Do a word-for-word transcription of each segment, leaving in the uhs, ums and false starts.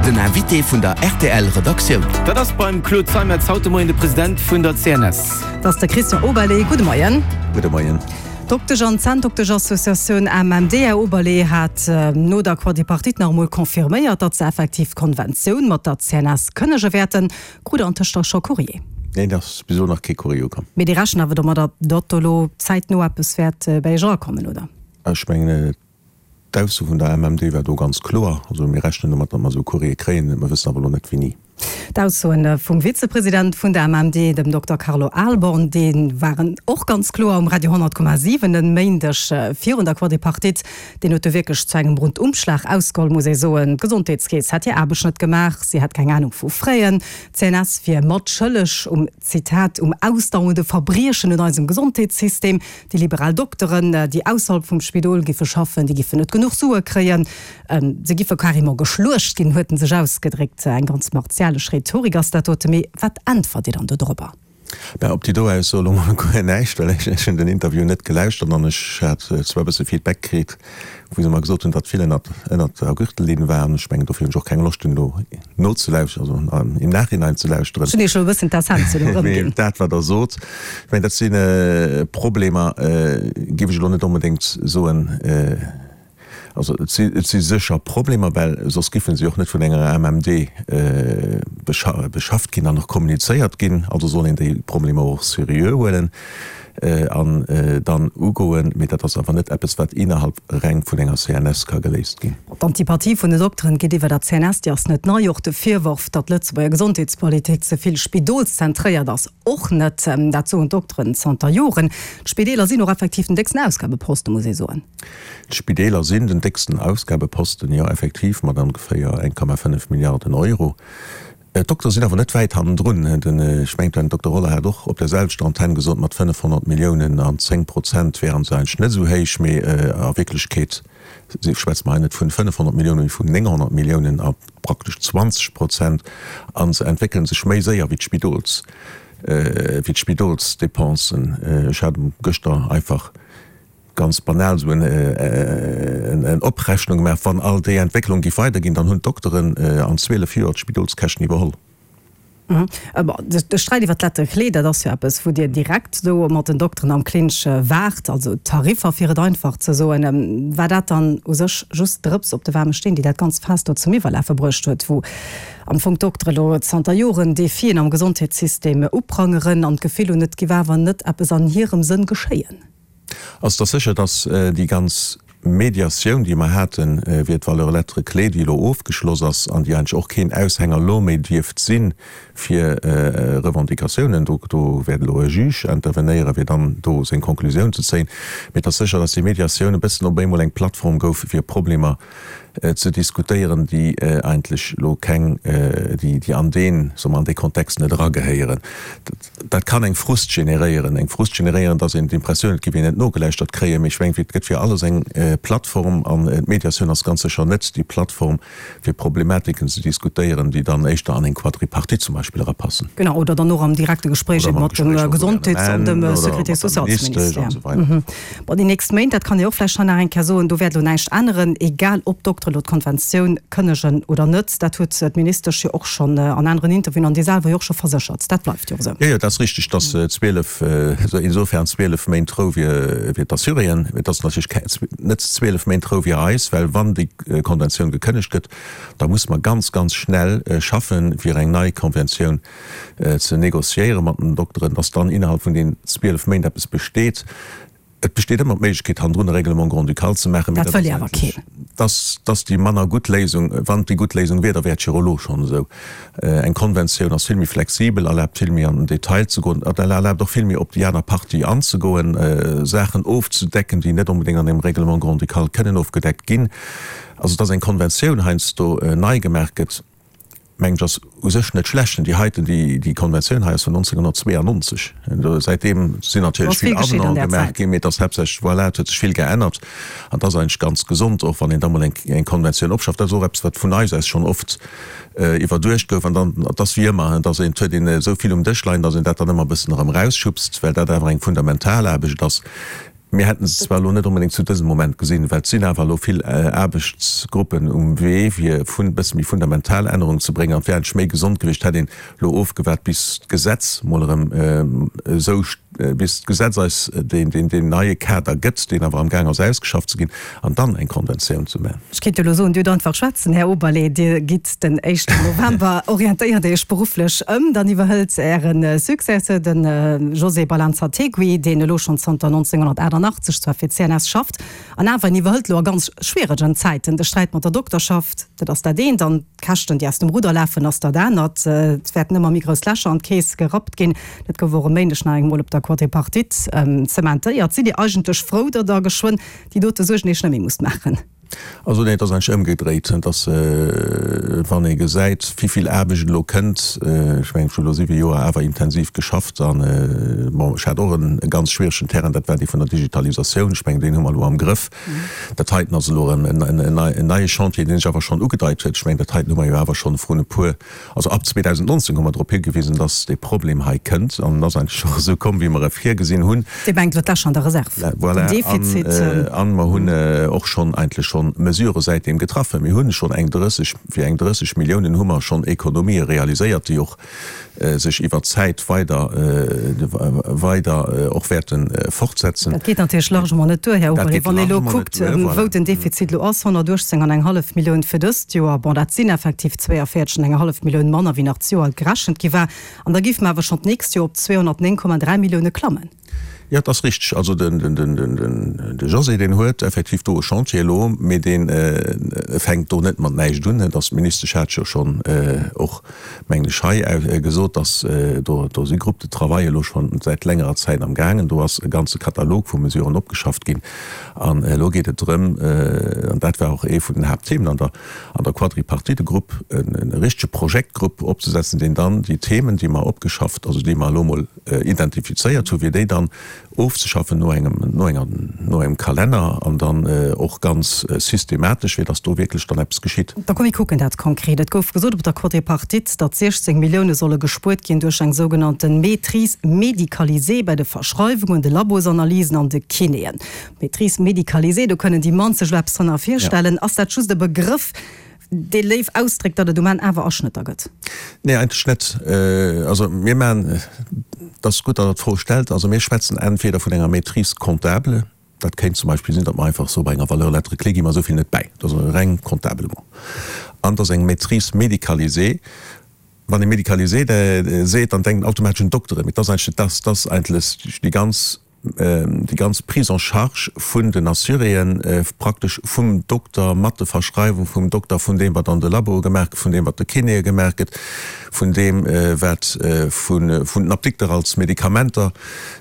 Den Invité vun der R T L Redaktioun. Dat ass beim Claude Zeimetz haut de Moien de President vun der C N S. Dat ass de Christian Oberlé. Gudde Moien. Gudde Moien. D'Doktesch an Zänndoktesch-Associatioun A M M D, Här Oberlé, hat no der Quadripartite nach emol confirméiert, datt se effektiv d'Konventioun mat der C N S kënnege wäerten. Krut Der antëscht da scho Courrier? Neen, et ass bis elo nach kee Courrier ukomm. Mee Dir rechent awer domadder, datt do elo zäitno eppes wäert bei Iech erakommen, oder? Ech mengen, d'Ausso vun der A M M D war do ganz kloer. Also mir rechnen domat, datt mer esou e Courrier kréien. Mer wëssen awer elo net wéini. D'Aussoen vum Vizepresident vun der A M M D, dem Dokter Carlo Ahlborn, déi waren och ganz kloer um Radio honnert Komma siwen en Méindeg virun der Quadripartite. Deen huet do wierklech zu engem Rundumschlag ausgeholl, muss ee soen. D'Gesondheetskeess hätt hir Aarbecht net gemaach, si hätt keng Anung vu Fräen, d'C N S wier matschëlleg um, Zitat, um ausdauernde Verbriechen un eisem Gesondheetssystem, déi liberal Dokteren, déi ausserhalb vum Spidol giffe schaffen, déi giffen net genuch Sue kréien, se giffe carrément geschluecht ginn, huet en sech ausgedréckt. Eng ganz martialesch Rhetorik ass dat dote. Mee wat äntwert Dir dann do dorobber? Mä op déi do Ausso elo mol guer näischt, well ech hunn den Interview net gelauschtert an ech hat zwar e bësse Feedback kritt, wou se mer gesot hunn, datt vill ënnert ënnert der Gürtellinn war an ech mengen, dofir hunn ech och keng Loscht, en elo nozelauschteren, also im Nachhinein ze lauschteren. Ech hunn Iech elo e bëssen d'Essenz elo erëmginn. Mee dat, wat Der sot, ech mengen, dat si Problemer, géif ech elo net onbedéngt soen, Also et si, et si sécher Problemer, well soss giffen se och net vun enger A M M D beschafft ginn an och kommunizéiert ginn. Also soll een déi Problemer och seriö huelen an dann ugoen. Mee dat ass awer net eppes, wat innerhalb reng vun enger C N S ka geléist ginn. D'Antipathie vun den Dokteren géintiwwer der C N S, déi ass net nei. Och de Virworf, datt d'Lëtzebuerger Gesondheetspolitik ze vill spidolszentréiert ass, och net. Dat soen d'Dokteren zanter Joren. D'Spideeler sinn och effektiv den décksten Ausgabeposten, muss ee soen. D'Spideeler sinn den décksten Ausgabeposten, jo, effektiv, mat ongeféier eng Komma fënnef Milliarden Euro. D'Doktere sinn awer net wäit hannendrun. Den, ech mengen, den Dokter Roller hat och op der selwechter Antenn gesot, mat fënnefhonnert Milliounen an zéng Prozent wären se eigentlech net esou héich, mee a Wierklechkeet schwätze mer hei net vun fënnefhonnert Milliounen, mee vun nénghonnert Milliounen a praktesch zwanzeg Prozent. A se entwéckele sech méi séier wéi d'Spidols, wéi d'Spidolsdepensen. Ech hat gëschter einfach ganz banal esou eng Oprechnung gemaach, wann all déi Entwécklung géif weiderginn, dann hunn d'Dokteren an zwielef Joer d'Spidolskäschten iwwerholl. De Sträit iwwer d'Lettre clé, dat ass jo eppes, wou Dir direkt do mat den Dokteren am Clinch waart, also d'Tariffer, fir et einfach ze soen. War dat dann u sech just d'Drëps op de waarme Steen, déi dat ganzt Faass do zum Iwwerlafe bruecht huet, wou am Fong d'Doktere lo zanter Joren Defien am Gesondheetssystem uprangeren an d'Gefill hunn, et géif awer net eppes an hirem Sënn geschéien? Also et ass sécher, datt déi ganz Mediatioun, déi mer haten, iwwer d'Valeur lettre clé, déi elo ofgeschloss ass an déi eigentlech och keen Aushänger elo méi dierft si fir Revendicatiounen, do do wäert elo e Juge intervenéieren, fir dann do seng Konklusioun ze zéien. Mee et ass sécher, datt déi Mediatioun e bëssen op eemol eng Plattform gouf, fir Problemer ze diskutéieren, déi eigentlech elo keng, déi déi an deen, soe mer, an dee Kontext net eragehéieren. Dat kann eng Frust generéieren, eng Frust generéieren, datt een d'Impressioun huet, et géif een net nogelauschtert kréien. Mee ech mengen, et gëtt fir alles eng Plattform an d'Mediatioun ass ganz sécher net déi Plattform, fir Problematiken ze diskutéieren, déi dann éischter an eng Quadripartite zum Beispill erapassen. Genau, oder dann och am direkte Gespréich ebe mat dem Gesondheets an dem Sécurité-sociales-Ministère. Bon, déi nächst Méint, dat kann ee och vläicht hei nach eng Kéier soen, do wäert elo näischt änneren, egal ob d'Doktere elo d'Konventioun kënnegen oder net. Dat huet d'Ministesch jo och schonn an aneren Interviewen an Dir selwer jo och scho verséchert. Dat bleift jo esou. Jo, jo, dat ass richtig, dass zwielef, insofern zwielef Méint Rou fir d'Assuréen. Et ass natierlech net zwielef Méint Rou fir eis, well wann déi Konventioun gekënnegt gëtt, da muss mer ganz, ganz schnell schaffen, fir eng nei Konventioun ze négociéiere mat den Dokteren, dass dann innerhalb vun den zwielef Méint eppes besteet. Et besteet ëmmer d'Méiglechkeet, hannendrun e Règlement grand-ducal ze maachen, mee Dat dat wëll ass jo awer eigentlech, keen. dass, dass déi manner gutt Léisung. Wann et déi gutt Léisung wier, da wär et jo elo schonn esou. Eng Konventioun ass vill méi flexibel, erlaabt vill méi an den Detail ze goen, erlaabt och vill méi op déi aner Partie anzegoen, Saachen ofzedecken, déi net onbedéngt an engem Règlement grand-ducal kënnen ofgedeckt ginn. Also dass eng Konventioun heiansdo nei gemaach gëtt, mengen ech, ass u sech net schlecht. Déi heiten, déi, déi Konventioun hei ass vun nonzénghonnertzweeanonzeg. Säitdeem sinn natierlech vill Avenante gemaach ginn, mee et ass haaptsächlech, voilà, et huet sech vill geännert. An et ass eigentlech ganz gesond och, wann een da mol eng, eng Konventioun opschafft. Dat ass och eppes, wat vun eis aus schonn oft iwwerduecht gouf. An dann, et ass wéi ëmmer, dass een, et huet een esou vill um Dësch leien, dass een dat dann ëmmer e bëssen erëm erausschubst, well dat awer eng fundamental Aarbecht ass. Mir hätten se zwar elo net onbedéngt zu dësem Moment gesinn, well et sinn awer elo vill Aarbechtsgruppen um Wee, fir e bësse méi fundamental Ännerungen ze bréngen. An et wär eigentlech méi gesond gewiescht, hätt een elo ofgewaart, bis d'Gesetz mol erëm esou, bis d'Gesetz eis deen neie Kader gëtt, deen awer amgaang ass ausgeschafft ze ginn, an dann eng Konventioun ze maachen. Ech kéint jo elo soen, Dir hutt einfach schwätzen, Här Oberlé, Dir gitt den éischten November, orientéiert Iech berufflech ëm, dann iwwerhëlt Äre Successeur, de José Balanzategui, deen elo schonn zanter nonzénghonnertaachtannachtzeg zwar fir d'CNS schafft, an awer en iwwerhëlt elo a ganz schwieregen Zäiten de Sträit mat der Dokterschaft, dat ass dat eent, an d'Käschten, déi aus dem Rudder lafen, ass dat anert. Et wäerten ëmmer méi grouss Lächer an d'Keess gerappt ginn. Dat gouf och e Méindeg nach eng Mol op der Quadripartite zementéiert. Sidd Dir eigentlech frou, datt Der geschwënn déi dote Suergen Iech net méi musst maachen? Also nee, et ass eigentlech ëmgedréit. Et ass, wann ee gesäit, wéi vill Aarbecht elo kënnt, ech mengen, ech hu elo siwe Joer awer intensiv geschafft an, bon, ech hat och e ganz schwieregen Terrain, dat war dee vun der Digitalisatioun. Ech mengen, deen hu mer elo am Grëff. Dat heiten ass elo erëm en neie Chantier, deen sech awer schonn ugedeit huet. Ech mengen, dat heiten hu mer jo awer schonn vrun e puer, also ab zweedausendnonzéng hu mer drop higewisen, dass dee Problem hei kënnt. An en ass eigentlech och esou komm, wéi mer e virgesinn hunn. Dir mengt elo d'Lächer an der Reserv, den Defizit? Voilà. An mer hunn och schonn eigentlech schonn Mesurë säitdeem getraffen. Mir hunn schonn eng drësseg, fir eng drësseg Milliounen hu mer schonn Ekonomië realiséiert, déi och sech iwwert d'Zäit weider, weider och wäerte fortsetzen. Dat geet natierlech largement net duer, Här Oberlé, wann ee elo kuckt, wou den Defizit elo ass, honnertuechtzéng an eng hallef Millioun fir dëst Joer. Bon, dat sinn effektiv zwéiavéierzeg an eng hallef Millioun manner, wéi nach d'Joer gerechent gi war. An da géife mer awer schonn d'nächst Joer op zweehonnertnéng Komma dräi Millioune klammen. Jo, et ass richteg. Also de José, deen huet effektiv do e Chantier elo, mee dee fänkt do net mat näischt un. Et ass, d'Ministesch hat jo schonn och, mengen ech, hei gesot, datt do do si Groupes de travail elo schonn säit längerer Zäit am gaangen. Do ass e ganze Katalog vu Mesuren opgeschafft ginn. An elo geet et drëm, an dat war och ee vun den Haaptthemen an der an der Quadripartite, e Grupp, e richtege Projektgrupp opzesetzen, deen dann déi Themen, déi mer opgeschafft, also déi mer elo emol identifizéiert hu, fir déi dann ofzeschaffen no engem, no enger, no engem Kalenner an dann och ganz systematesch, fir dass do wierklech dann eppes geschitt. Da komm mir kucken dat konkret. Et gouf gesot op der Quadripartite, datt siechzéng Millioune solle gespuert ginn duerch eng sougenannte Maîtrise médicalisée bei de Verschreiwungen, de Labosanalysen an de Kinéen. Maîtrise médicalisée, do kënnen déi mannst sech elo eppes drënner virstellen. Ass dat just e Begrëff, dee léif ausdréckt, datt et um Enn awer Aschnëtter gëtt? Nee, eigentlech net. Also mir maachen, et ass gutt, datt Der d'Fro stellt, also mir schwätzen entweder vun enger Maîtrise comptable, dat kéint zum Beispill sinn, datt mer einfach soe bei enger Valeur lettre clé gi mer esou vill net bäi, dat ass reng comptablement, an et ass eng Maîtrise médicalisée. Wann ee médicalisée seet, dann denkt een automatesch un d'Dokteren, mee et ass eigentlech net dat, et ass eigentlech déi ganz, déi ganz Prise en charge vun den Assuréen, praktesch vum Dokter, mat de Verschreiwung vum Dokter, vun deem, wat an de Laboe gemaach gëtt, vun deem, wat de Kinéë gemaach gëtt, vun deem, wat vun den Apdikter als Medikamenter,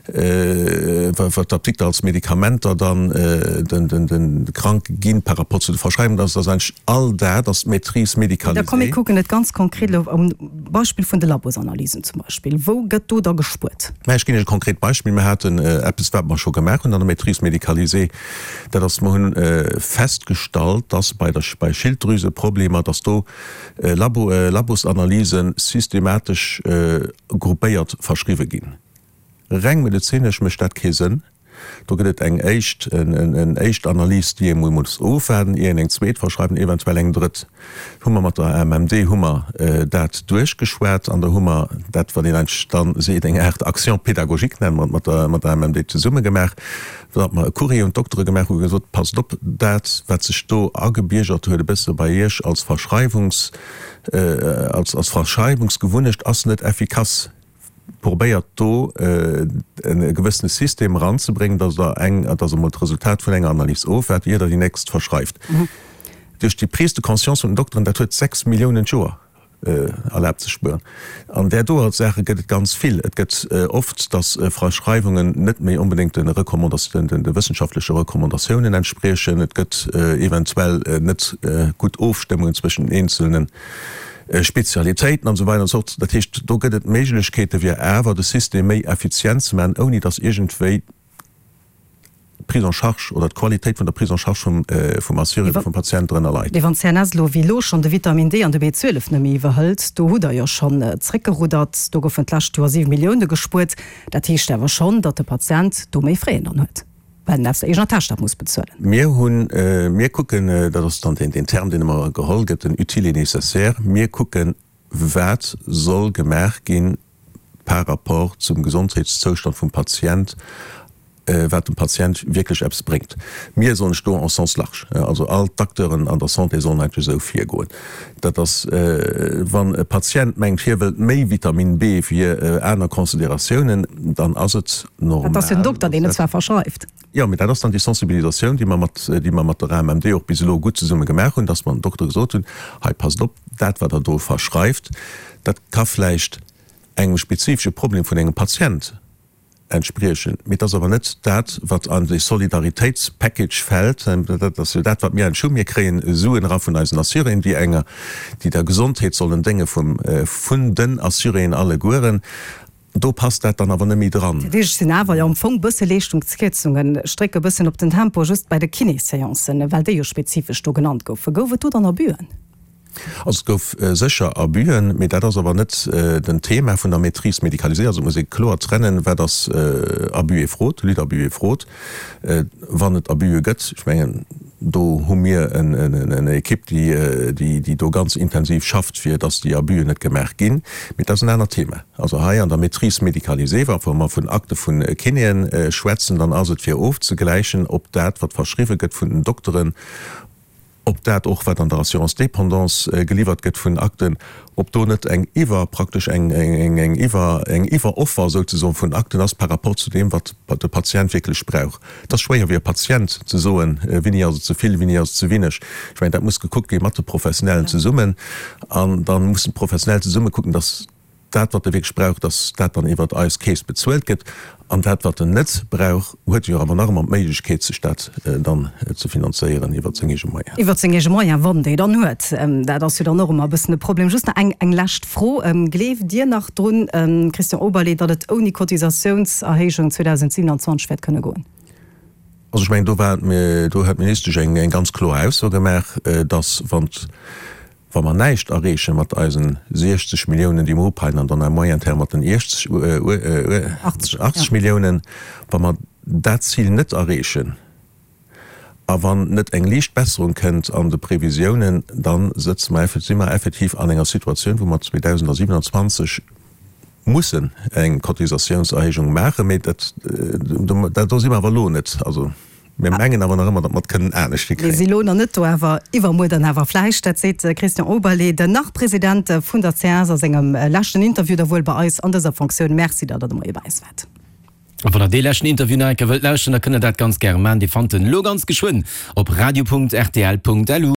wat d'Apdikter als Medikamenter dann de Kranke ginn par rapport zu de Verschreiwungen. Dat ass eigentlech all dat ass d'Maîtrise Da komm mir médicalisée. kucken et ganz konkret elo um Beispill vun de Labosanalysen zum Beispill. Wou gëtt do da gespuert? Mä ech ginn Iech e konkret Beispill. Mir haten eppes, wat mer scho gemaach hunn an der Maîtrise médicalisée, dat ass, mer hunn festgestallt, dass bei der, bei Schilddrüseproblemer, dass do Labo, Labosanalyse systematesch gruppéiert verschriwwe ginn. Reng medezinesch mécht dat kee Sënn. Do gëtt et eng éischt, en éischt Analys, déi ee mol muss ofwaarden, ier een eng zweet verschreift an eventuell eng drëtt. Hu mer mat der A M M D hu mer dat duerchgeschwat an da hu mer dat, wat een eigentlech da seet, eng Aart Action pédagogique, nenne mer et, mat der, mat der A M M D zesumme gemaach, datt mer e Courrier un d'Doktere gemaach hu gesot, Passt op, dat, wat sech do agebiergert huet e bësse bei Iech als Verschreiwungs, als, als Verschreiwungsgewunnecht, ass net effikass. Probéiert do e gewëssene System eranzebréngen, dass Der eng, dass Der emol d'Resultat vun enger Analys ofwaart, ier Der déi nächst verschreift. Duerch déi Prise de conscience vun den Dokteren, dat huet sechs Milliounen d'Joer erlaabt ze spueren. An där doer Saache gëtt et ganz vill. Et gëtt oft, dass Verschreiwungen net méi onbedéngt de Recommandatioun, de wëssenschaftleche Recommandatiounen entspriechen. Et gëtt eventuell net gutt Ofstëmmungen zwëschen den eenzelne Spezialitéiten an esou weider an esou fort. Dat heescht, do gëtt et Méiglechkeete fir awer de System méi effizient ze maachen, ouni datt iergendwéi d'Prise en charge oder d'Qualitéit vun der Prise en charge vum vum Assuré oder vum Patient drënner leit. Mee wann d'CNS elo wéi elo schonn de Vitamin D an de B zwielef net méi iwwerhëlt, do hutt Der jo schonn zréckgeruddert, do goufen d'lescht Joer siwe Millioune gespuert, dat heescht awer schonn, datt de Patient do méi Frais dann huet. well en aus der eegener Täsch dat muss bezuelen. Mir hunn, mir kucken, dat ass dann deen Term, deen ëmmer geholl gëtt, den utile et nécessaire, mir kucken, wat soll gemaach ginn par rapport zum Gesondheitszoustand vum Patient, wat dem Patient wierklech eppes bréngt. Mir soen ech do en sens large, also all d'Acteuren an der Santé sollen eigentlech esou virgoen. Dat ass, wann e Patient mengt, hie wëllt méi Vitamin B fir aner Consideratiounen, dann ass et normal. Dat ass jo den Dokter, deen et zwar verschreift. Jo, mee dat ass dann déi Sensibilisatioun, déi mer mat, déi mer mat der A M M D och bis elo gutt zesumme gemaach hunn, dass mer dem Dokter gesot hunn, hei passt op, dat wat Der do verschreift, dat ka vläicht engem spezifesche Problem vun engem Patient entspriechen, mee et ass awer net dat, wat an dee Solidaritéitspackage fält. Dat ass jo dat, wat mir eigentlech hunn. Mir kréien Suen era vun eisen Assuréen, déi enger, déi der Gesondheet sollen dénge vum, vun den Assuréen allegueren. Do passt dat dann awer net méi dran. Dat heescht, et sinn awer jo am Fong bësse Leeschtungskierzungen. Ech drécke bëssen op den Tempo, just bei de Kinéséancen, well déi jo spezifesch do genannt goufen. Gouf et do dann Abüen? Also et gouf sécher Abüen, mee dat ass awer net den Thema vun der Maîtrise médicalisée. Also et muss ee kloer trennen, wat ass Abus et fraude, lutte abus et fraude. Wann et Abüe gëtt, ech mengen, do hu mir en Equipe, déi do ganz intensiv schafft, fir datt déi Abüen net gemaach ginn. Mee dat ass en anert Thema. Also hei an der Maîtrise médicalisée, wa mer vun Akte vu Kinéen schwätzen, dann ass et fir ofzegläichen, ob dat, wat verschriwwe gëtt vun den Dokteren, ob dat och, wat an der Assurance dépendance geliwwert gëtt vun Akten, ob do net eng iwwer, praktesch eng eng iwwer, eng Iwweroffer souzesoen vun Akten ass par rapport zu deem, wat de Patient wierklech brauch. Et ass schwéier fir e Patient ze soen, wéini ass et ze vill, wéini ass et ze wéineg. Ech mengen, dat muss gekuckt gi mat de Professionellen zesummen an da mussen d'Professionell zesumme kucken, dass dat, wat e wierklech brauch, dass dat dann iwwert eis Keess bezuelt gëtt, an dat, wat en net brauch, huet e jo awer nach ëmmer d'Méiglechkeet, sech dat dann ze finanzéieren iwwert seng eege Moyenen. Iwwert seng eege Moyenen, wann déi dann huet. Dat ass jo dann och ëmmer e bëssen e Problem. Just nach eng, eng lescht Fro, Gleeft Dir nach drun, Christian Oberlé, datt et ouni Cotisatiounserhéijung zweedausendsiewenanzwanzeg wäert kënne goen? Also ech mengen, do war, do huet d'Ministesch eng, eng ganz kloer Ausso gemaach, dass, wann Wa mer näischt erreeche mat eisen siechzeg Milliounen, déi mer upeien, an dann à moyen terme mat den achtzeg Milliounen, wa mer dat Zil net erreechen a wann net eng liicht Besserung kënnt an de Previsiounen, da sëtze mer, si mer effektiv an enger Situatioun, wou mer zweedausendsiewenanzwanzeg mussen eng Cotisatiounserhéijung maachen. Mee dat, do si mer awer elo net. Also. Mir mengen awer nach ëmmer, datt mer et kënnen anescht hikréien. Mir si lo nach net do, awer iwwermuer dann awer vläicht. Dat seet de Christian Oberlé, den Nach-President vun der C S a sengem leschten Interview da wuel bei eis an dëser Fonctioun. Merci, datt Der de Moie bei eis waart. A wann der dee leschten Interview nach eng Kéier wëllt lauschteren, da kënnt der dat ganz gäre maachen. Dir fannt en elo ganz geschwënn op radio Punkt rtl Punkt lu.